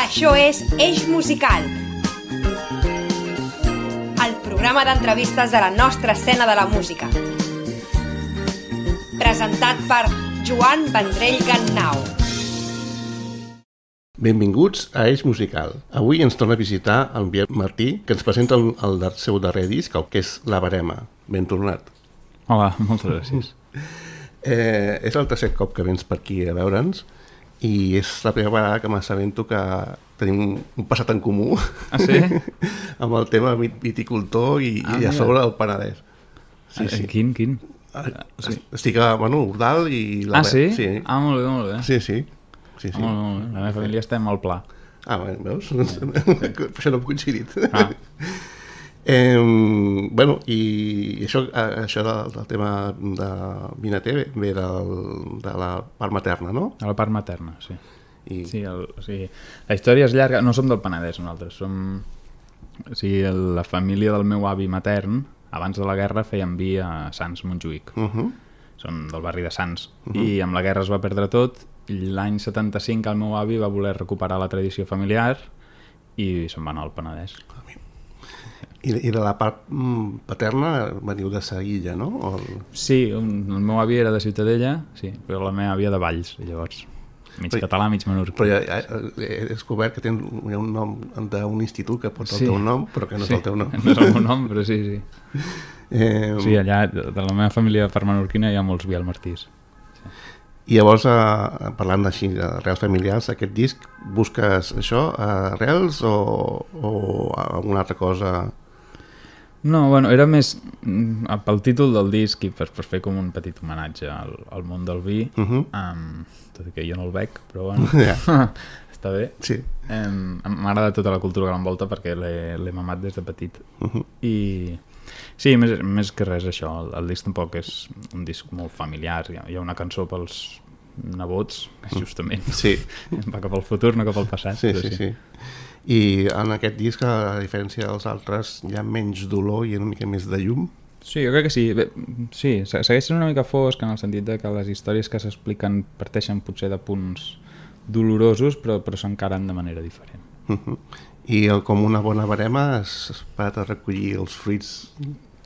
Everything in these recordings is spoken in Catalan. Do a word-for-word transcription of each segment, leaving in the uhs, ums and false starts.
Això és Eix Musical, el programa d'entrevistes de la nostra escena de la música. Presentat per Joan Vendrell Gannau. Benvinguts a Eix Musical. Avui ens torna a visitar el Biel Martí, que ens presenta el, el seu darrer disc, el que és La Barema. Ben tornat. Hola, moltes gràcies. eh, és el tercer cop que vens per aquí a veure'ns i és la primera vegada que m'assabento que tenim un passat en comú. Ah, sí? amb el tema viticultor i, ah, i a sobre el Penedès. Sí, sí. Quin, quin? Ah, sí. Estic a, bueno, Ordal i... La ah, sí? sí? Ah, molt bé, molt bé. Sí, sí. sí, sí. Ah, molt bé, molt bé. La meva família estem al Pla. Ah, bé, veus? Per això no hem coincidit. Ah. Eh, bueno, i això, això del, del tema de Vinater ve del, de la part materna, no? De la part materna, sí. I... sí, el, o sigui, la història és llarga, no som del Penedès nosaltres, som... O sigui, la família del meu avi matern, abans de la guerra, feien vi a Sants, Montjuïc. Uh -huh. Són del barri de Sants. Uh -huh. I amb la guerra es va perdre tot, i l'any setanta-cinc el meu avi va voler recuperar la tradició familiar i se'n va anar al Penedès. I, I de la part paterna veniu de Seguilla, no? O el... Sí, un, el meu avi era de Ciutadella, sí, però la meva àvia de Valls, llavors. Mig però, català, mig menorquí. Però ja, ja he descobert que tens un, un nom d'un institut que porta sí. el teu nom, però que no és sí. el teu nom. No és el meu nom, però sí, sí. Eh... Sí, allà, de la meva família per menorquina hi ha molts Biel Martís. I llavors, eh, parlant així d'arrels familiars, aquest disc, busques això, arrels o, o alguna altra cosa? No, bueno, era més pel títol del disc i per, per fer com un petit homenatge al, al món del vi, uh -huh. um, tot i que jo no el bec, però bueno, yeah. està bé. Sí. Um, m'agrada tota la cultura que l'envolta perquè l'he mamat des de petit. Uh -huh. I sí, més, més que res això, el, el disc tampoc és un disc molt familiar, hi ha, hi ha una cançó pels nebots, justament. Sí. Va cap al futur, no cap al passat. Sí, sí, sí, sí. I en aquest disc, a diferència dels altres, hi ha menys dolor i una mica més de llum? Sí, jo crec que sí. Bé, sí, segueix sent una mica fosc en el sentit de que les històries que s'expliquen parteixen potser de punts dolorosos, però, però s'encaren de manera diferent. Uh-huh. I el, com una bona barema has esperat a recollir els fruits?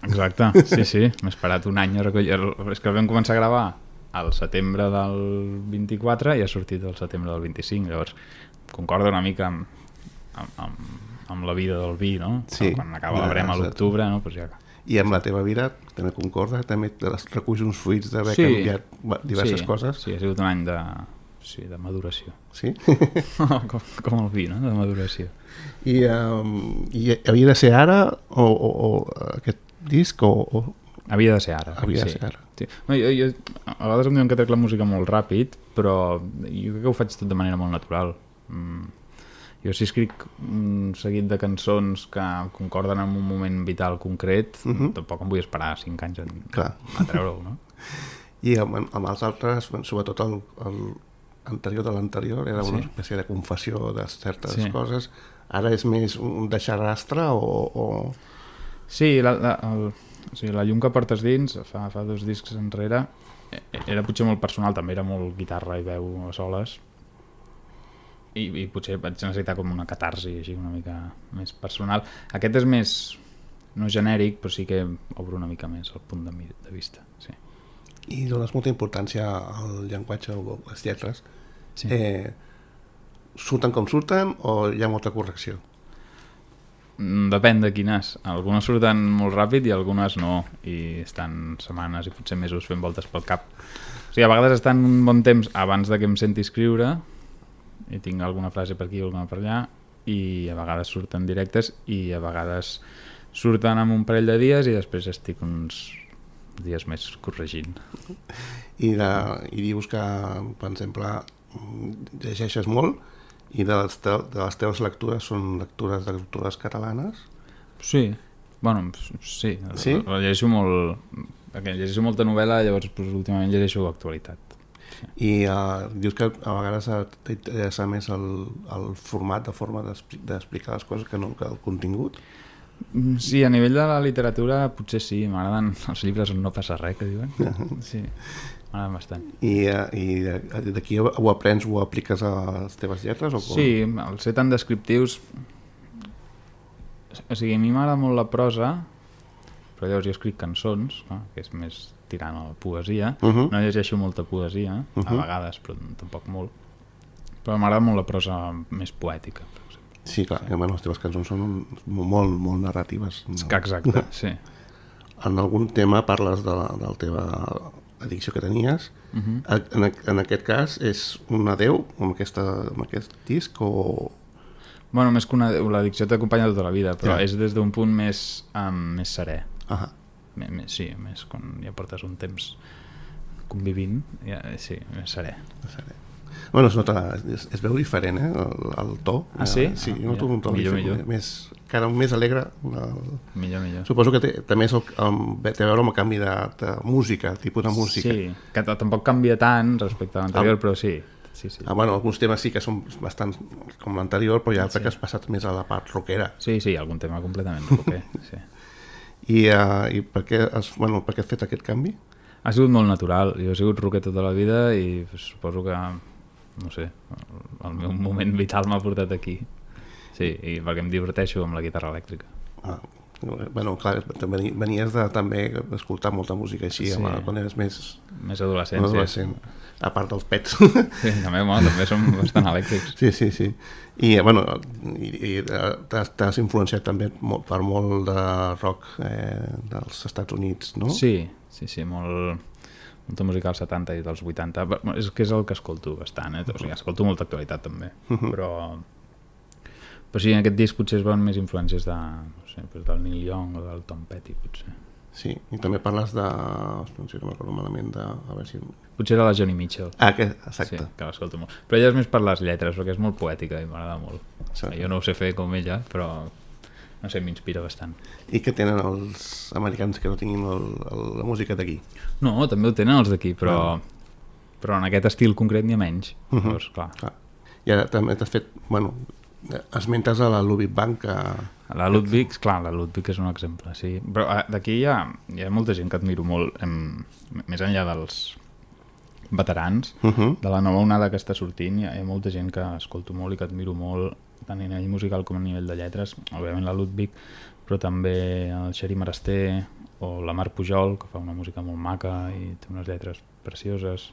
Exacte, sí, sí. M'he esperat un any a recollir... És que el vam començar a gravar al setembre del vint-i-quatre i ha sortit al setembre del vint-i-cinc, llavors concorda una mica amb, amb, amb, amb la vida del vi, no? Sí. Quan acaba la brema a l'octubre, no? Pues ja... I amb la teva vida també concorda? També reculls uns fruits d'haver sí. canviat diverses sí. coses? Sí, ha sigut un any de, sí, de maduració. Sí? com, com el vi, no? De maduració. I, um, i havia de ser ara o, o, o aquest disc o... o... Havia de ser ara. Havia sí. de ser ara. Sí. No, jo, jo, a vegades em diuen que trec la música molt ràpid, però jo crec que ho faig tot de manera molt natural. Mm. Jo si escric un seguit de cançons que concorden en un moment vital concret, uh-huh. tampoc em vull esperar cinc anys a, a treure-ho, no? I amb, amb els altres, sobretot el, el anterior de l'anterior, era una sí. espècie de confessió de certes sí. coses. Ara és més un deixar rastre o... o... Sí, la, la, el, o sigui, la llum que portes dins, fa, fa dos discs enrere, era potser molt personal, també era molt guitarra i veu a soles, i, i potser vaig necessitar com una catarsi així una mica més personal. Aquest és més, no genèric, però sí que obro una mica més el punt de, de vista. Sí. I dones molta importància al llenguatge o les lletres. Sí. Eh, surten com surten o hi ha molta correcció? Depèn de quines. Algunes surten molt ràpid i algunes no, i estan setmanes i potser mesos fent voltes pel cap. O sigui, a vegades estan un bon temps abans de que em senti escriure i tinc alguna frase per aquí o alguna per allà, i a vegades surten directes i a vegades surten en un parell de dies i després estic uns dies més corregint. I, de, i dius que, per exemple, llegeixes molt i de les, te, de les teves lectures són lectures d'autores catalanes? Sí, bueno, sí, sí? llegeixo molt, perquè llegeixo molta novel·la, llavors pues, últimament llegeixo actualitat. Sí. I uh, dius que a vegades t'interessa més el, el format, de forma d'explicar les coses que no que el contingut? Sí, a nivell de la literatura potser sí, m'agraden els llibres on no passa res, que diuen. Sí. m'agraden bastant. I, i d'aquí ho aprens, ho apliques a les teves lletres? O com? Sí, al ser tan descriptius... O sigui, a mi m'agrada molt la prosa, però llavors jo escric cançons, no? Que és més tirant a la poesia. Uh -huh. No llegeixo molta poesia, uh -huh. a vegades, però tampoc molt. Però m'agrada molt la prosa més poètica, per exemple. Sí, clar, sí. Bueno, les teves cançons són molt, molt narratives. No? Exacte, sí. En algun tema parles de la, de la teva addicció que tenies. Uh -huh. en, en aquest cas, és un adeu amb, aquesta, amb aquest disc o... Bueno, més que una... L'addicció t'acompanya tota la vida, però ja. És des d'un punt més, um, més serè. Uh -huh. més, més, sí, més quan ja portes un temps convivint, ja, sí, més serè. serè. Bueno, es nota, es, es veu diferent, eh, el, el to. Ah, sí? Sí, ah, jo noto un to millor, diferent, millor. Més, encara més alegre. El... Millor, millor. Suposo que té, també és el, el, té a veure amb el canvi de, de música, tipus de música. Sí, que tampoc canvia tant respecte a l'anterior, ah. però sí. Sí, sí. Ah, bueno, alguns temes sí que són bastant com l'anterior, però hi ha altre sí. que has passat més a la part rockera. Sí, sí, algun tema completament rocker, sí. I, uh, i per, què has, bueno, per què has fet aquest canvi? Ha sigut molt natural. Jo he sigut rocker tota la vida i suposo que, no sé, el, el meu moment vital m'ha portat aquí. Sí, i perquè em diverteixo amb la guitarra elèctrica. Ah, bueno, clar, venies de també d'escoltar molta música així, sí. amb, quan eres més... Més adolescent, adolescent. Sí. A part dels pets. Sí, també, bueno, també som bastant elèctrics. Sí, sí, sí. I, bueno, i, i t'has influenciat també per molt de rock eh, dels Estats Units, no? Sí, sí, sí, molt, molta música dels setanta i dels vuitanta. És que és el que escolto bastant, eh? O sigui, escolto molta actualitat també, uh-huh. però... Però sí, en aquest disc potser es veuen més influències de, no sé, del Neil Young o del Tom Petty, potser. Sí, i també parles de... no sé, no m'acordo malament de... A veure si... Potser era la Joni Mitchell. Ah, que, exacte. Sí, que l'escolto molt. Però ella és més per les lletres, perquè és molt poètica i m'agrada molt. Exacte. Jo no ho sé fer com ella, però no sé, m'inspira bastant. I què tenen els americans que no tinguin el, el, la música d'aquí? No, també ho tenen els d'aquí, però, bueno. però en aquest estil concret n'hi ha menys. Uh -huh. Llavors, clar. clar. I ara també t'has fet... Bueno, esmentes a la Ludwig Band que... La Ludwig, clar, la Ludwig és un exemple, sí. Però d'aquí hi ha, hi ha molta gent que admiro molt, em, més enllà dels veterans, uh -huh. de la nova onada que està sortint, hi ha, hi ha molta gent que escolto molt i que admiro molt, tant a nivell musical com a nivell de lletres, òbviament la Ludwig, però també el Xeri Marasté o la Mar Pujol, que fa una música molt maca i té unes lletres precioses,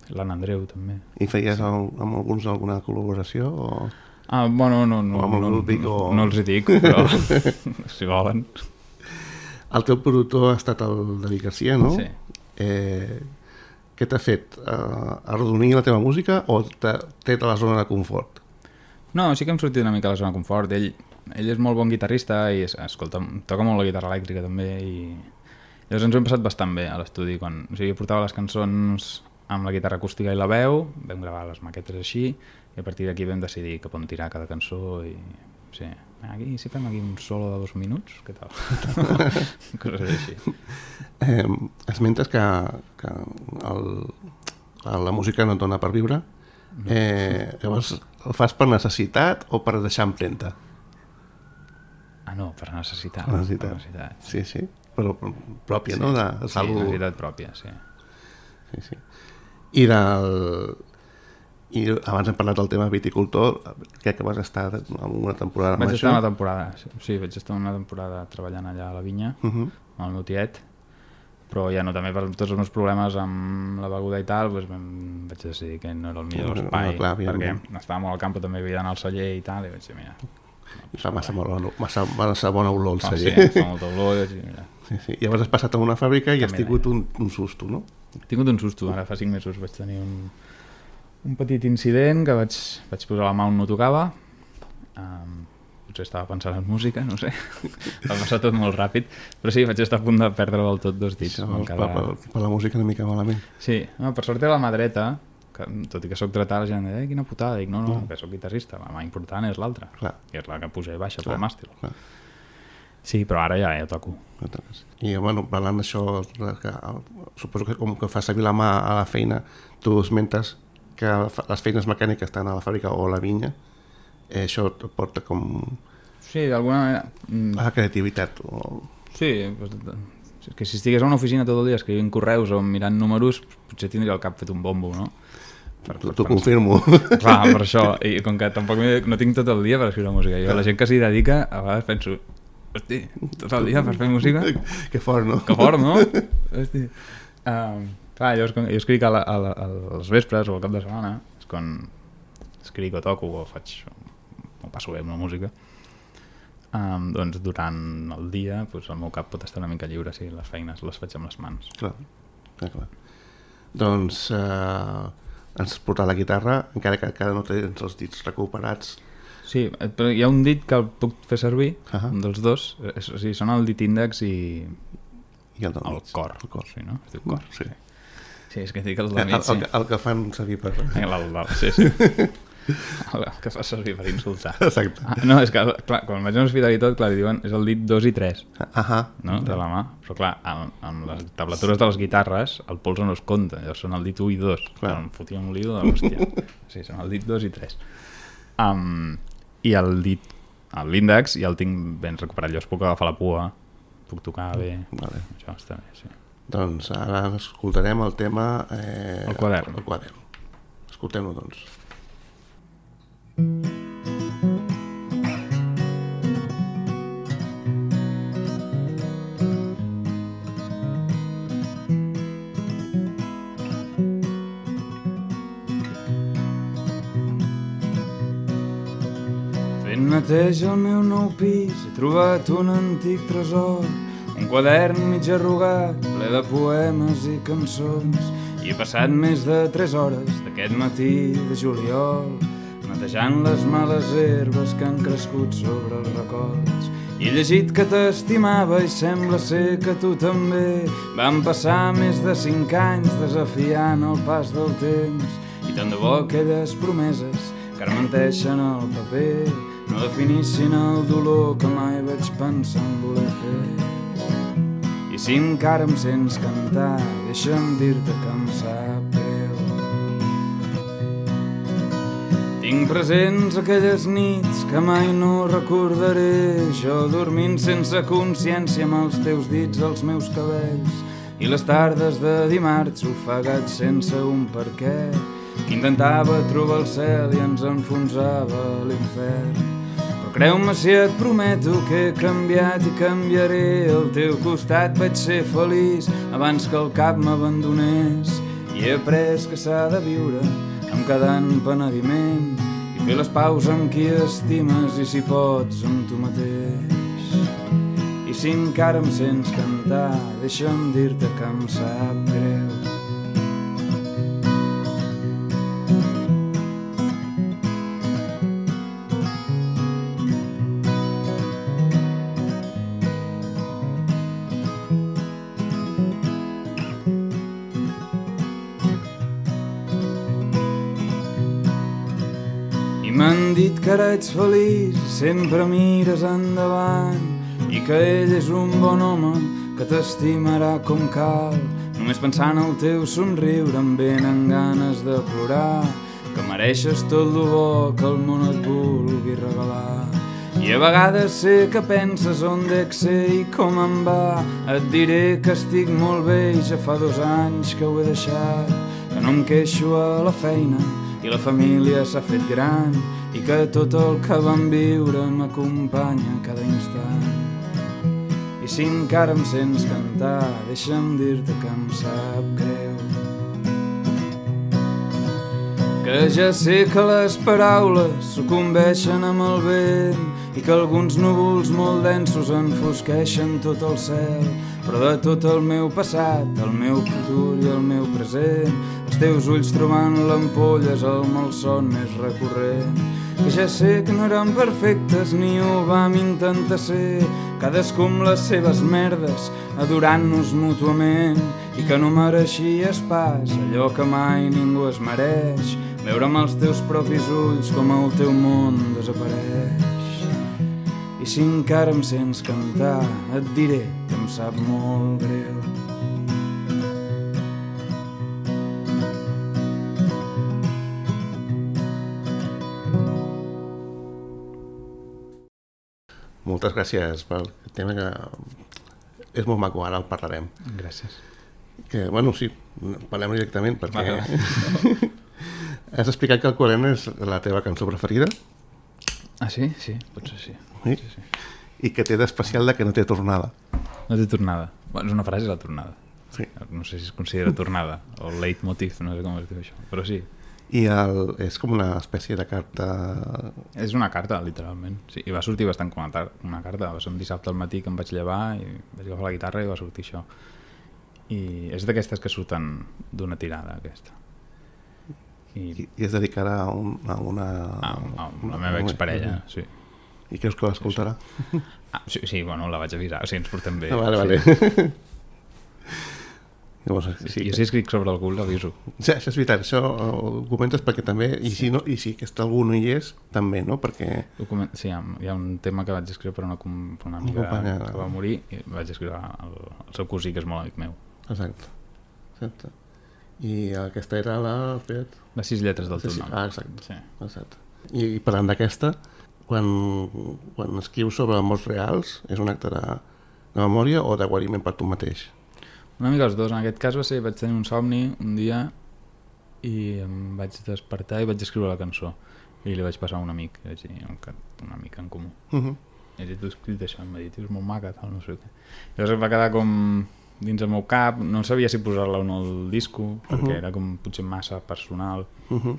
l'Anna Andreu també. I feies sí. el, amb alguns alguna col·laboració o...? Ah, bueno, no, no, no, no, o... no els hi dic, però si volen. El teu productor ha estat el David Garcia, no? Sí. Eh, què t'ha fet? Uh, arrodonir la teva música o t'ha tret a la zona de confort? No, sí que hem sortit una mica a la zona de confort. Ell, ell és molt bon guitarrista i escolta, toca molt la guitarra elèctrica també i llavors ens ho hem passat bastant bé a l'estudi. Quan, o sigui, portava les cançons amb la guitarra acústica i la veu, vam gravar les maquetes així i a partir d'aquí vam decidir cap on tirar cada cançó i sí, aquí, si fem aquí un solo de dos minuts, què tal? Coses així. Eh, esmentes que, que el, la música no et dona per viure, eh, llavors el fas per necessitat o per deixar empremta? Ah no, per necessitat. Per necessitat. Per necessitat. Sí, sí, però pròpia, sí. no? De, sí, algú... necessitat pròpia, sí. Sí, sí. I del... I abans hem parlat del tema viticultor, crec que vas estar en una temporada amb vaig això. estar una temporada, sí, vaig estar una temporada treballant allà a la vinya, uh -huh. amb el meu tiet, però ja no, també per tots els meus problemes amb la beguda i tal, doncs vam, vaig decidir que no era el millor no, espai, no, clar, perquè estava molt al camp, també havia d'anar al celler i tal, i vaig dir, mira... I fa massa, bona, massa, massa bona olor el celler. Oh, sí, fa molta olor, i mira... Sí, sí. I llavors has passat a una fàbrica i has tingut un, un susto, no? He tingut un susto, ara fa cinc mesos vaig tenir un... un petit incident que vaig, vaig posar la mà on no tocava, um, potser estava pensant en música, no sé, va passar tot molt ràpid, però sí, vaig estar a punt de perdre del tot dos dits. Això, cada... per, per, per la música una mica malament. Sí, no, per sort era la mà dreta, que, tot i que soc dretà, la gent diu, eh, quina putada, dic, no, no, no. que soc guitarrista, la mà important és l'altra, que és la que puja i baixa clar, pel màstil. Clar. Sí, però ara ja, ja toco. I, bueno, parlant d'això, que, suposo que com que fas servir la mà a la feina, tu esmentes que les feines mecàniques estan a la fàbrica o a la vinya, eh, això et porta com... Sí, d'alguna manera... a la creativitat. O... Sí, que si estigués a una oficina tot el dia escrivint correus o mirant números, potser tindria el cap fet un bombo, no? T'ho confirmo. Clar, per això, i com que tampoc no tinc tot el dia per escriure música, jo la gent que s'hi dedica a vegades penso, hosti, tot el dia per fer música? Que fort, no? Que fort, no? Hosti. Um, clar, jo, jo escric a, la, a, la, a les vespres o al cap de setmana, és quan escric o toco o faig, o passo bé amb la música. Um, doncs durant el dia doncs el meu cap pot estar una mica lliure si les feines les faig amb les mans. Clar, clar, clar. Doncs eh, ens has portat la guitarra, encara que encara no tens els dits recuperats. Sí, però hi ha un dit que el puc fer servir, uh-huh. un dels dos, és, o sigui, són el dit índex i, I el, el cor. El cor. Sí, no? Es diu cor. Sí, sí és que dic el del mig, el, el, sí. el, el que fan servir per... El, el, el, sí, sí. El que fa servir per insultar. Exacte. Ah, no, és que, clar, quan vaig a l'hospital i tot, clar, diuen, és el dit dos i tres, uh-huh. no? De la mà. Però clar, amb, amb les tablatures de les guitarres, el polze no es compta, llavors són el dit u i dos. Clar. Em fotia un lío de l'hòstia. Sí, són el dit dos i tres. Um, I el dit, l'índex, ja el tinc ben recuperat. Llavors puc agafar la pua, puc tocar bé. Vale. Això està bé, sí. Doncs ara escoltarem el tema... Eh, el quadern. El quadern. Escoltem-ho, doncs. Fent neteja al meu nou pis he trobat un antic tresor, un quadern mig arrugat ple de poemes i cançons, i he passat més de tres hores d'aquest matí de juliol netejant les males herbes que han crescut sobre els records. I he llegit que t'estimava i sembla ser que tu també. Van passar més de cinc anys desafiant el pas del temps, i tant de bo aquelles promeses que ara menteixen al paper no definissin el dolor que mai vaig pensar en voler fer. I si encara em sents cantar, deixa'm dir-te que em sap greu. Tinc presents aquelles nits que mai no recordaré, jo dormint sense consciència amb els teus dits als meus cabells, i les tardes de dimarts ofegat sense un per què, intentava trobar el cel i ens enfonsava a l'infern. Però creu-me si et prometo que he canviat i canviaré, al teu costat vaig ser feliç abans que el cap m'abandonés, i he après que s'ha de viure amb cada empenediment i fer les paus amb qui estimes i si pots amb tu mateix. I si encara em sents cantar, deixa'm dir-te que em sap greu. M'han dit que ara ets feliç, sempre mires endavant, i que ell és un bon home que t'estimarà com cal. Només pensant el teu somriure em venen ganes de plorar, que mereixes tot lo bo que el món et vulgui regalar. I a vegades sé que penses on dec ser i com em va. Et diré que estic molt bé i ja fa dos anys que ho he deixat, que no em queixo a la feina i la família s'ha fet gran, i que tot el que vam viure m'acompanya cada instant. I si encara em sents cantar, deixa'm dir-te que em sap greu. Que ja sé que les paraules sucumbeixen amb el vent i que alguns núvols molt densos enfosqueixen tot el cel, però de tot el meu passat, el meu futur i el meu present, els teus ulls trobant l'ampolla és el malson més recurrent. Que ja sé que no eren perfectes ni ho vam intentar ser, cadascú amb les seves merdes, adorant-nos mútuament, i que no mereixies pas allò que mai ningú es mereix, veure amb els teus propis ulls com el teu món desapareix. I si encara em sents cantar, et diré que em sap molt greu. Moltes gràcies pel tema que és molt maco, ara el parlarem. Gràcies. Que, bueno, sí, parlem directament, perquè Vale. has explicat que el Corent és la teva cançó preferida. Ah, sí? Sí, potser sí. Sí? sí, sí. I que té d'especial de que no té tornada. No té tornada. Bueno, és una frase, la tornada. Sí. No sé si es considera tornada, o leitmotiv, no sé com es diu això, però sí. I el, és com una espècie de carta... És una carta, literalment. Sí, i va sortir bastant com una, tar- una carta. Va ser un dissabte al matí que em vaig llevar i vaig agafar la guitarra i va sortir això. I és d'aquestes que surten d'una tirada, aquesta. I, I, i es dedicarà a, un, a una... a, a la meva exparella, sí. I creus que l'escoltarà? Ah, sí, sí, bueno, la vaig avisar, sí, ens portem bé. Ah, vale, vale. Sí. Llavors, sí, Jo si escric sobre el cul l'aviso. sí, això és veritat, això ho comentes perquè també, i si, no, i si aquest algú no hi és, també, no? Perquè... Document... Sí, hi ha, hi ha un tema que vaig escriure per una, com... per una amiga companya. que va morir i vaig escriure el, el seu cosí, que és molt amic meu. Exacte. Exacte. I aquesta era la... Espera't. Les sis lletres del Sí, teu sí. nom. Ah, exacte. Sí. exacte. I, I parlant d'aquesta, quan, quan escrius sobre morts reals, és un acte de, de memòria o de guariment per tu mateix? Una mica els dos. En aquest cas va ser, vaig tenir un somni un dia i em vaig despertar i vaig escriure la cançó. I li vaig passar a un amic, li vaig dir, un, un amic en comú. Uh -huh. I vaig dir, tu has escrit això? Em va dir, tio, és molt maca, tal, no sé què. Llavors va quedar com dins el meu cap, no sabia si posar-la o no al disco, perquè uh -huh. era com potser massa personal. Uh -huh.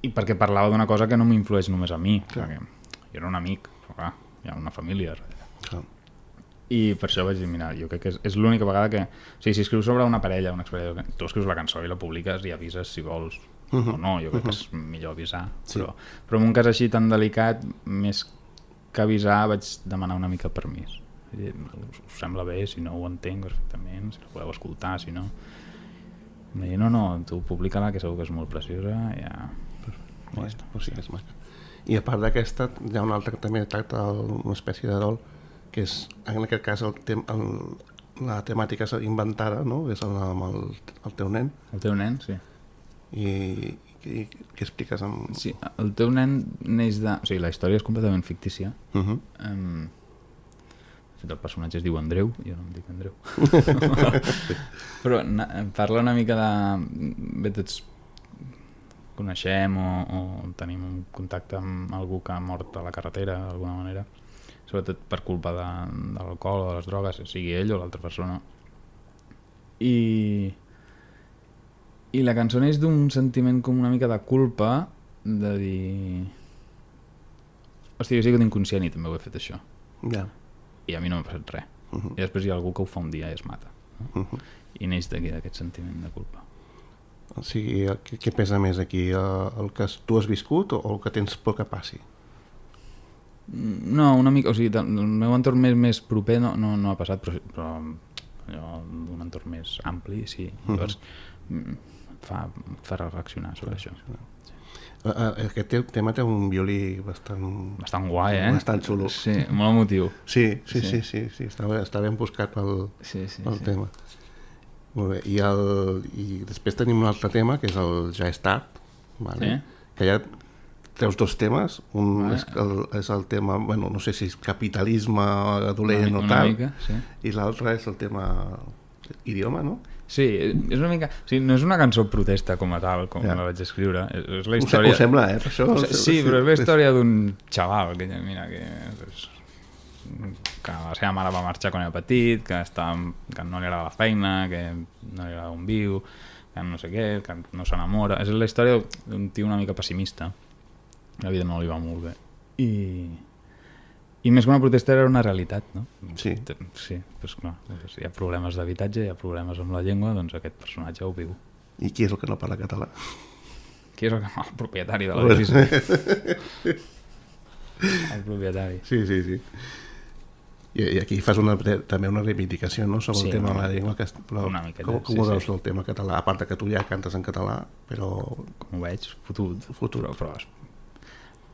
I perquè parlava d'una cosa que no m'influeix només a mi, Clar. perquè jo era un amic, però clar, hi ha una família darrere. Clar. I per això vaig dir, mira, jo crec que és, és l'única vegada que... O sigui, si escrius sobre una parella, una exparella, tu escrius la cançó i la publiques i avises si vols uh -huh. o no, jo crec uh -huh. que és millor avisar. Sí. Però, però en un cas així tan delicat, més que avisar, vaig demanar una mica permís. Vull dir, us, us sembla bé, si no ho entenc perfectament, si la podeu escoltar, si no... Em va dir, no, no, tu publica-la, que segur que és molt preciosa, ja... Ja està, pues sí, és maca. I a part d'aquesta, hi ha un altre que també tracta una espècie de dol, que és, en aquest cas, el tem, el, la temàtica és inventada, no? És el, amb el, el teu nen. El teu nen, sí. I què expliques amb... Sí, el teu nen neix de... O sigui, la història és completament fictícia. Uh -huh. Um, el personatge es diu Andreu, jo no em dic Andreu. Però na, parla una mica de... Bé, tots coneixem o, o tenim un contacte amb algú que ha mort a la carretera d'alguna manera, sobretot per culpa de, de l'alcohol o de les drogues, sigui ell o l'altra persona. I... I la cançó neix d'un sentiment com una mica de culpa, de dir... Hòstia, jo he sigut inconscient i també ho he fet això. Ja. I a mi no m'ha passat res. Uh -huh. I després hi ha algú que ho fa un dia i es mata. No? Uh -huh. I neix d'aquí, d'aquest sentiment de culpa. O sigui, què, què pesa més aquí? El que tu has viscut o el que tens por que passi? No, una mica... O sigui, el meu entorn més, més proper no, no, no ha passat, però, però allò d'un entorn més ampli, sí. Llavors, uh -huh. fa, fa reflexionar sobre això. Aquest tema té un violí bastant... Bastant guai, eh? Bastant xulo. Sí, molt emotiu. Sí, sí, sí, sí, sí, sí. Està, està ben buscat pel, sí, sí, pel sí. tema. Molt bé, I, el, i després tenim un altre tema, que és el Ja és tard, vale? Sí. Que ja treus dos temes, un Vale. és, el, és el tema, bueno, no sé si és capitalisme dolent Una, o una tal, mica, sí. i l'altre és el tema idioma, no? Sí, és una mica... O sigui, no és una cançó protesta com a tal, com Ja. la vaig escriure. És, és la Ho, història... ho sembla, eh? Per això, O sigui, sí, però és la història d'un xaval que, mira, que, és, que la seva mare va marxar quan era petit, que, està, que no li agrada la feina, que no li agrada on viu, que no sé què, que no s'enamora. És la història d'un tio una mica pessimista. La vida no li va molt bé. I... I més que una protesta era una realitat, no? Sí. Sí, doncs clar, doncs hi ha problemes d'habitatge, hi ha problemes amb la llengua, doncs aquest personatge ho viu. I qui és el que no parla català? Qui és el, el propietari de l'edifici? El propietari. Sí, sí, sí. I, i aquí fas una, també una reivindicació, no?, sobre Sí, el tema una, de la llengua. Que, però, una miqueta, com com sí, ho veus, sí. el tema català? A part de que tu ja cantes en català, però... Com ho veig, fotut. Fotut. Però, però,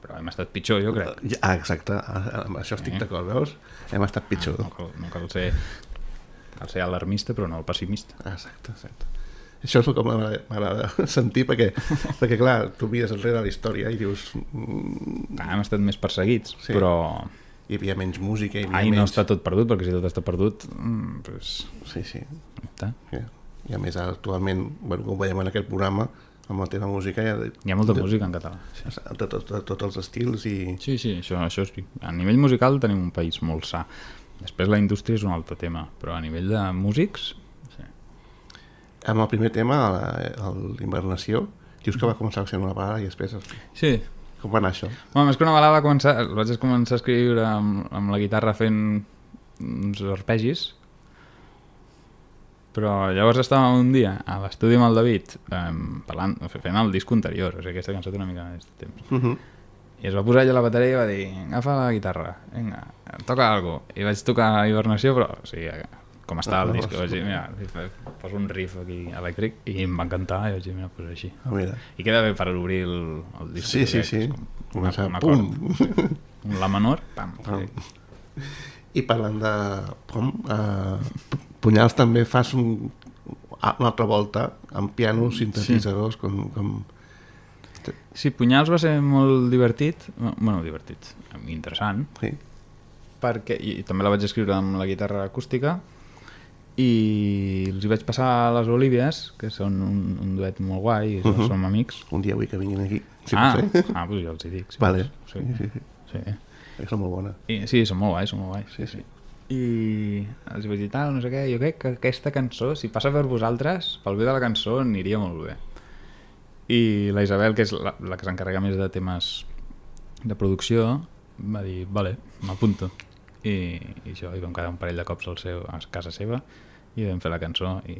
però hem estat pitjor, jo crec. Ja, ah, exacte, amb això estic Eh? d'acord, veus? Hem estat pitjor. No, cal, no cal ser, cal ser alarmista, però no el pessimista. Exacte, exacte. Això és el que m'agrada m'agrada sentir, perquè, perquè, clar, tu mires enrere la història i dius... mm, Clar, hem estat més perseguits, Sí. però, hi havia menys música, hi havia Ai, menys... no està tot perdut, perquè si tot està perdut, mm, pues... Sí, sí. Està. I, I a més, actualment, bueno, com veiem en aquest programa, amb el tema música... Hi ha, de, Hi ha molta de, música en català. Sí. De, de, de, de tots els estils i... Sí, sí, això, això sí. A nivell musical tenim un país molt sa. Després la indústria és un altre tema, però a nivell de músics... Sí. Amb el primer tema, l'Invernació, dius que va començar sent una balada i després... Sí. Com va anar això? Bueno, més que una balada va començar... Vaig començar a escriure amb, amb la guitarra fent uns arpegis, però llavors estàvem un dia a l'estudi amb el David um, parlant, fent el disc anterior, o sigui, aquesta cançó té una mica més de temps. Uh -huh. I es va posar ella a la bateria i va dir, agafa la guitarra, vinga, toca alguna cosa. I vaig tocar Hibernació, però o sigui, com estava el disc, vaig dir, mira, poso un riff aquí elèctric i em va encantar i vaig dir, mira, pues així. Ah, mira. I queda bé per obrir el, el disc. Sí, sí, sí. Una, una pum! Un la menor, pam. pam. I parlant de pom, uh, Punyals també fas un, una altra volta amb pianos, sintetitzadors, sí. com... com... Sí, Punyals va ser molt divertit, bueno, divertit, interessant, sí. perquè, i, i també la vaig escriure amb la guitarra acústica, i els hi vaig passar a les Olívies, que són un, un duet molt guai, i uh -huh. som amics. Un dia vull que vinguin aquí. Sí, ah, ah, doncs jo els hi dic. Sí, vale. Sí, sí, sí. sí. Són molt bones. I, sí, són molt guais, són molt guais. Sí, sí. I els hi vaig dir tal, no sé què, jo crec que aquesta cançó, si passa per vosaltres, pel bé de la cançó aniria molt bé. I la Isabel, que és la, la que s'encarrega més de temes de producció, va dir, vale, m'apunto. I, i això, i vam quedar un parell de cops al seu, a casa seva i vam fer la cançó i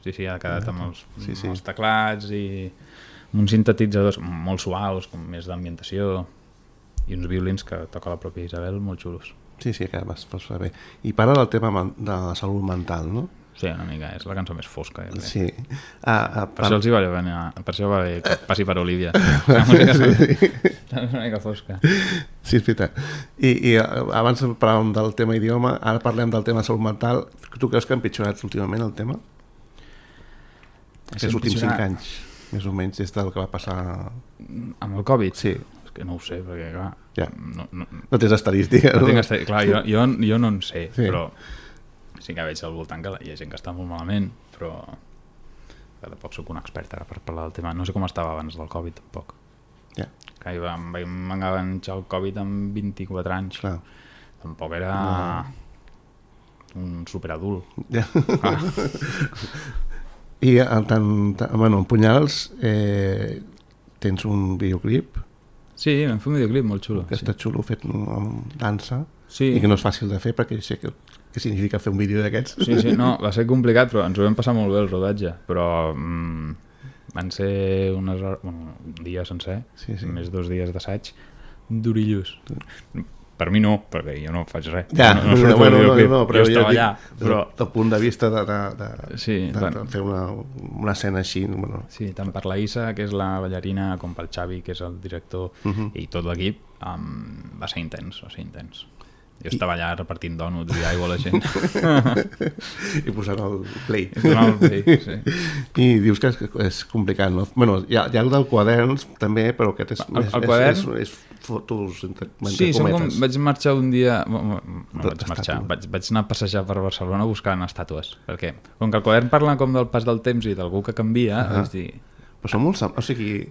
sí, sí, ha quedat amb els, sí, sí. amb els teclats i amb uns sintetitzadors molt suaus, com més d'ambientació i uns violins que toca la pròpia Isabel molt xulos. Sí, sí, que vas, vas bé. I parla del tema de la salut mental, no? Sí, una mica, és la cançó més fosca. Ja sí. Ah, ah, per, per això els hi va venir, per això va bé que passi per Olivia. La música sí. És una mica fosca. Sí, és veritat. I, i abans parlàvem del tema idioma, ara parlem del tema salut mental. Tu creus que ha empitjorat últimament el tema? Aquests últims cinc anys, més o menys, des del que va passar... Amb el Covid? Sí. És que no ho sé, perquè clar... Ja. No, no, no tens estadística. No, no? tinc estadística. Clar, jo, jo, jo no en sé, sí. però sí que veig al voltant que hi ha gent que està molt malament, però tampoc soc un expert ara per parlar del tema. No sé com estava abans del Covid, tampoc. Ja. Que em vam enganxar el Covid amb vint-i-quatre anys. Clar. Tampoc era no. un superadult. Ja. Ah. I en, tant, bueno, en Punyals eh, tens un videoclip. Sí, vam fer un videoclip molt xulo. Que sí. està xulo, fet amb dansa, sí. i que no és fàcil de fer perquè sé que, que significa fer un vídeo d'aquests. Sí, sí, no, va ser complicat, però ens ho vam passar molt bé el rodatge, però mm, van ser unes hores, bueno, un dia sencer, sí, sí. més dos dies d'assaig, durillos. Per mi no, perquè jo no faig res. Ja, no, no, no, bueno, no, no, no, però jo estava dic, allà. Però... Del punt de vista de, de, de, sí, de, bueno. de fer una, una escena així. Bueno. Sí, tant per la Issa, que és la ballarina, com pel Xavi, que és el director, uh -huh. i tot l'equip, um, va ser intens, va ser intens. Jo I... estava allà repartint dònuts i aigua a la gent. I posant el play. I posant el play, sí. I dius que és, és complicat, no? Bueno, hi ha, hi ha el del quaderns, també, però aquest és... El, és, el quadern... És, és, és fotos entre, entre sí, cometes. Com, vaig marxar un dia... No, no vaig marxar, vaig, vaig anar a passejar per Barcelona buscant estàtues, perquè com que el quadern parla com del pas del temps i d'algú que canvia, uh -huh. vaig dir... Però són molt... O sigui,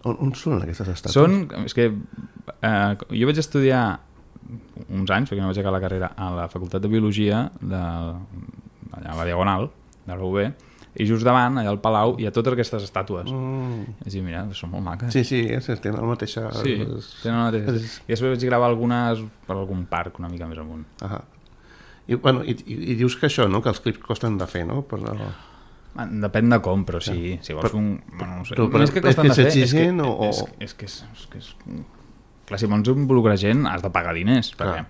on, on són aquestes estàtues? Són... És que eh, jo vaig estudiar uns anys, perquè no vaig acabar la carrera, a la Facultat de Biologia, de, allà a la Diagonal, de la U B, i just davant, allà al Palau, hi ha totes aquestes estàtues. Mm. És dir, mira, són molt maques. Sí, sí, és, tenen la mateixa... Sí, tenen la mateixa. És... I després vaig gravar algunes per algun parc una mica més amunt. Ah. I, bueno, i, i, i dius que això, no?, que els clips costen de fer, no? Però... Depèn de com, però sí, si vols fer un... Bueno, no sé. Però, però, és que costen és de fer, fer, és que, o... és, és, que és, és que és... Clar, si vols involucrar gent, has de pagar diners, perquè...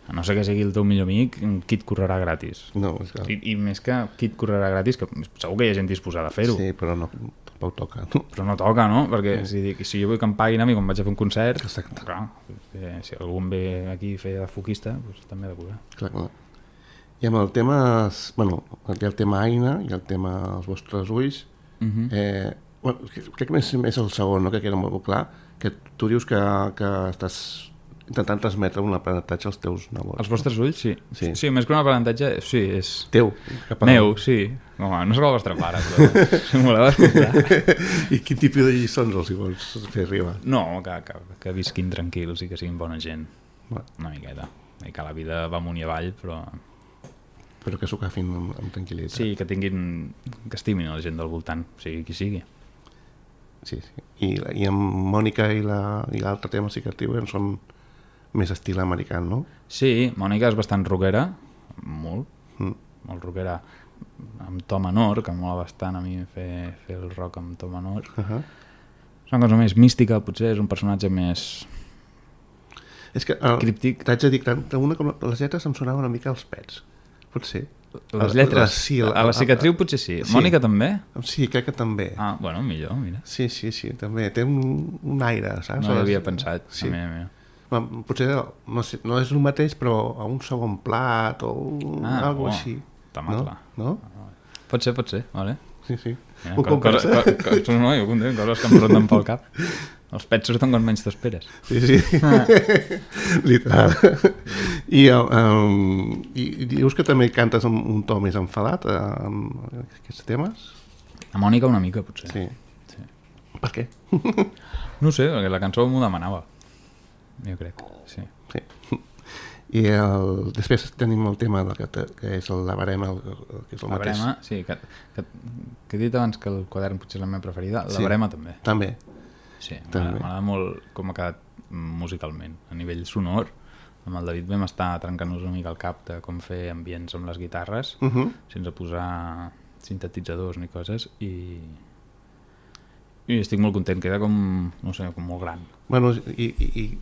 A no sé que sigui el teu millor amic, qui et correrà gratis. No, és clar. I, I més que qui et correrà gratis, que segur que hi ha gent disposada a fer-ho. Sí, però no, tampoc toca. No? Però no toca, no? Perquè sí. si, dic, si jo vull que em paguin a mi quan vaig a fer un concert, exacte. Clar, si algú em ve aquí a fer de foquista, doncs també he de cobrar. Clar, clar. I amb el tema, bueno, hi ha el tema Aina i el tema Els vostres ulls. Uh -huh. eh, bueno, crec que més, més el segon, no? Que queda molt clar, que tu dius que, que estàs intentant transmetre un aprenentatge als teus nebots. Els vostres ulls, sí. Sí. Sí, més que un aprenentatge, sí, és... Teu. Meu, sí. Home, no sóc el vostre pare, però si m'ho voleu escoltar. I quin tipus de lliçons els hi vols fer arribar? No, que, que, que visquin tranquils i que siguin bona gent. Va. Una miqueta. I que la vida va amunt i avall, però... Però que s'ho agafin amb, amb tranquil·litat. Sí, que tinguin... que estimin la gent del voltant, sigui qui sigui. Sí, sí. I, i amb Mònica i l'altre tema sí que et diuen són més estil americà, no? Sí, Mònica és bastant rockera, molt, Mm. molt rockera, amb to menor, que em mola bastant a mi fer, fer el rock amb to menor. Uh -huh. És una cosa més mística, potser és un personatge més És que el, críptic. t'haig de dir que tant una com les lletres em sonaven una mica als pets. Potser. Les lletres? La, sí, la, a la cicatriu potser sí. sí. Mònica també? Sí, crec que també. Ah, bueno, millor, mira. Sí, sí, sí, també. Té un, un aire, saps? No hi havia pensat. Sí. A mi, a mi. Bueno, potser no, sé, no és el mateix, però a un segon plat o un, Ah, algo oh, així. tomat-la. No? no? Pot ser, pot ser, vale. Sí, sí. Mira, Ho co compres, cosa, eh? co co no, jo content, coses que em ronden pel cap. Els pets surten quan menys t'esperes. Sí, sí. Ah. Literal. I, um, I dius que també cantes amb un to més enfadat uh, amb aquests temes? A Mònica una mica, potser. Sí. Sí. Per què? No sé, perquè la cançó m'ho demanava. Jo crec, sí. Sí. I el, després tenim el tema de que, te, que és el la barema, el, el, que és el La mateix. barema, sí, que, que, que he dit abans que el quadern potser és la meva preferida, la Sí. barema també. També. Sí, També. m'agrada molt com ha quedat musicalment, a nivell sonor. Amb el David vam estar trencant-nos una mica el cap de com fer ambients amb les guitarres, Uh -huh. sense posar sintetitzadors ni coses, i, i estic molt content, queda com, no sé, com molt gran. Bueno, i, i, i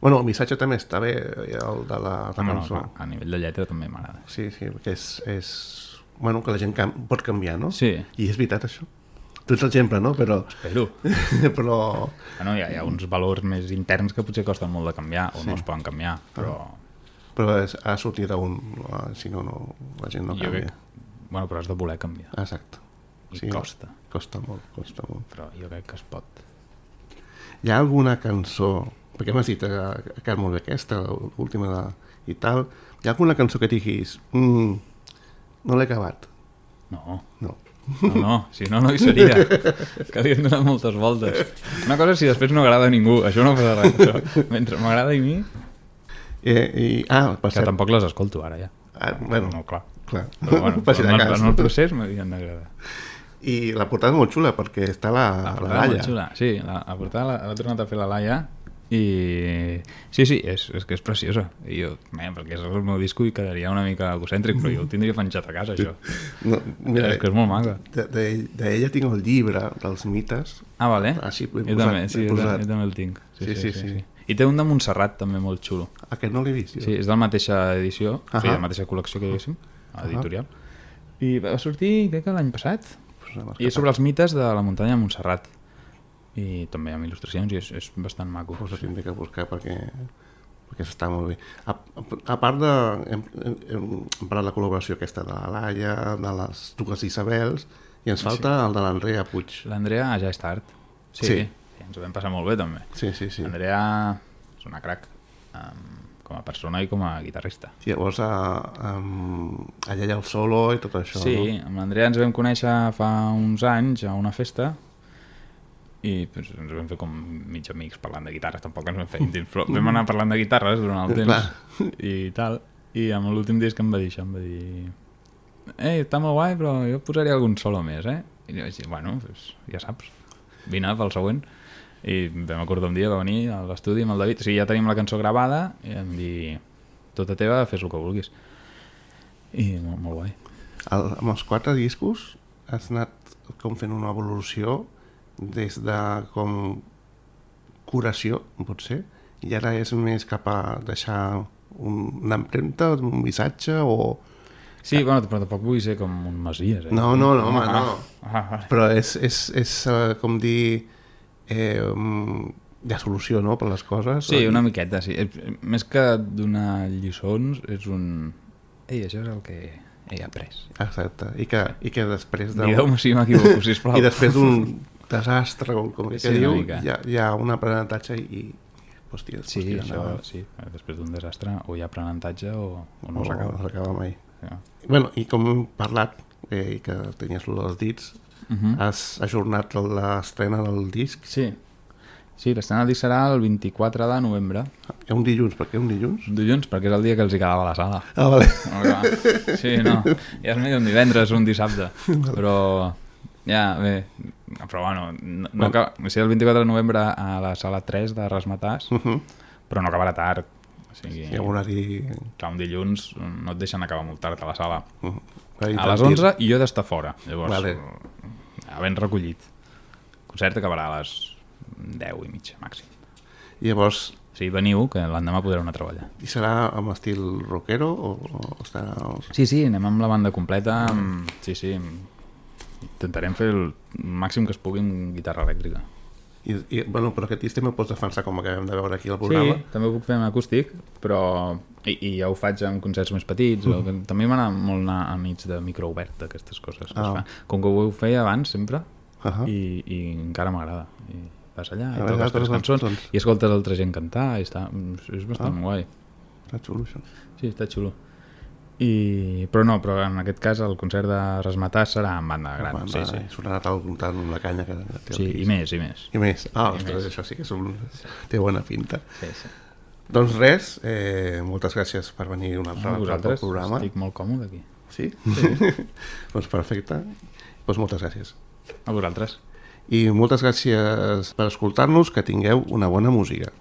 bueno, el missatge també està bé, el de la, la No, no, cançó. clar, a nivell de lletra també m'agrada. Sí, sí, perquè és, és... Bueno, que la gent cam pot canviar, no? Sí. I és veritat, això. Tu ets l'exemple, no? Però... Espero. però... Bueno, hi ha, hi ha uns valors més interns que potser costen molt de canviar, o Sí. no es poden canviar, però... Però és, ha sortit d'un... Si no, no, la gent no jo canvia. crec... Bueno, però has de voler canviar. Exacte. I costa. Costa molt, costa molt. Però jo crec que es pot. Hi ha alguna cançó, perquè m'has dit que ha quedat molt bé aquesta, l'última de, i tal, hi ha alguna cançó que diguis mm, no l'he acabat? No, No. no, no, si no, no hi seria. Que li hem donat moltes voltes. Una cosa és si després no agrada a ningú, això no passa res. Però mentre m'agrada a mi, Eh, i, ah, per que cert, tampoc les escolto ara ja. ah, bueno, No, clar. clar. Però bueno, Per si de en, el, cas. en el procés m'havien d'agradar. I la portada és molt xula perquè està la, La la, portada Laia. molt xula. Sí, la, la portada l'ha tornat a fer la Laia i sí, sí, és, és que és preciosa. I jo, bé, perquè és el meu disco i quedaria una mica egocèntric, però jo ho tindria penjat a casa, això. No, mira, És que és molt maca. d'ella de, de tinc el llibre dels mites. Ah, vale. Ah, sí, l'he jo posat, també, sí, l'he jo, posat. també- jo també el tinc. Sí, sí, sí. I té un de Montserrat també molt xulo. Aquest no l'he vist, jo. Sí, és de la mateixa edició, uh Ahà. -huh. de la mateixa col·lecció que diguéssim, editorial. I va sortir, crec que l'any passat. Pues m'ha I és sobre els mites de la muntanya de Montserrat. I també amb il·lustracions i és, és bastant maco. Pues ho tindré que buscar perquè, perquè està molt bé. A, a, a part de... Hem, hem, hem parlat de la col·laboració aquesta de la Laia, de les dues Isabels, i ens falta sí. el de l'Andrea Puig. L'Andrea ja és tard. Sí, Sí. sí. Ens ho vam passar molt bé també. Sí, sí, sí. L'Andrea és una crac, um, com a persona i com a guitarrista. I llavors a, a, allà hi ha el solo i tot això, Sí, amb l'Andrea ens vam conèixer fa uns anys a una festa i pues, ens vam fer com mig amics parlant de guitarres, tampoc ens vam fer íntims, però vam anar parlant de guitarres durant el temps Clar. i tal, i amb l'últim disc em va dir això, em va dir ei, està molt guai, però jo posaria algun solo més, eh? I jo vaig dir, bueno, pues, ja saps, vine pel següent. I vam acordar un dia, va venir a l'estudi amb el David, o sigui, ja tenim la cançó gravada i em dir, tota teva, fes el que vulguis. I molt, molt guai. El, amb els quatre discos has anat com fent una evolució des de com curació, potser, i ara és més cap a deixar un, una empremta, un missatge o... Sí, bueno, però tampoc vull ser com un Masies, eh? No, no, no, home, Ah, no. ah, ah. Però és, és, és uh, com dir... Eh, um, hi ha solució, no?, per les coses. Sí, una miqueta, sí. És- Més que donar lliçons, és un... Ei, això és el que he après. Exacte. I que, i que després de... Digueu-me si m'equivoco, sisplau. I després d'un desastre, com, com que Sí, una diu, mica. hi ha, hi ha un aprenentatge i, i hòstia, Sí, hòstia, això, endavant. sí. Després d'un desastre o hi ha aprenentatge o, o no no s'acaba. No s'acaba mai. Ja. Bueno, i com hem parlat, eh, i que tenies lo dels dits, Uh -huh. has ajornat l'estrena del disc. Sí, sí, l'estrena del disc serà el vint-i-quatre de novembre. Hi ha un dilluns, per què un dilluns? Dilluns, perquè és el dia que els hi quedava a la sala. Ah, vale. No, clar. Sí, no, ja és millor un divendres o un dissabte, però ja, bé, però bueno, no, no acaba, o sigui, el vint-i-quatre de novembre a la sala tres de Rasmatàs, Uh -huh. però no acabarà tard. O sigui, Hi ha un horari... clar, un dilluns no et deixen acabar molt tard a la sala. Uh -huh. horari A les infantil. onze i jo he d'estar fora, llavors, Vale. havent recollit. El concert acabarà a les deu i mitja, màxim. I llavors, O sigui, veniu, que l'endemà podreu anar a treballar. i serà amb estil rockero o, o estarà... Sí, sí, anem amb la banda completa. Amb... Sí, sí. Intentarem fer el màxim que es pugui amb guitarra elèctrica. I, i, bueno, però aquest estil me'l pots defensar com acabem de veure aquí al programa. Sí, també ho puc fer en acústic, però... I, i ja ho faig en concerts més petits. Mm. O... que també m'agrada molt anar a nits de micro obert, d'aquestes coses que Ah. es fan. Com que ho feia abans, sempre, Uh -huh. i, i encara m'agrada. I vas allà i A toques veure, tres toques cançons cançons. i escoltes altra gent cantar i està... és bastant Ah. guai. Està xulo, això. Sí, està xulo. I... Però no, però en aquest cas el concert de Rasmatàs serà en banda gran. Va, Sí, va, sí. sonarà tant, tant amb la canya que que té el Sí, disc. i més, i més. I més. Ah, I ostres, més. això sí que és un... té bona pinta. Sí, sí. Doncs res, eh, moltes gràcies per venir una altra A vegada al vosaltres, programa. estic molt còmode aquí. Sí? Doncs perfecte. Doncs moltes gràcies. A vosaltres. I moltes gràcies per escoltar-nos, que tingueu una bona música.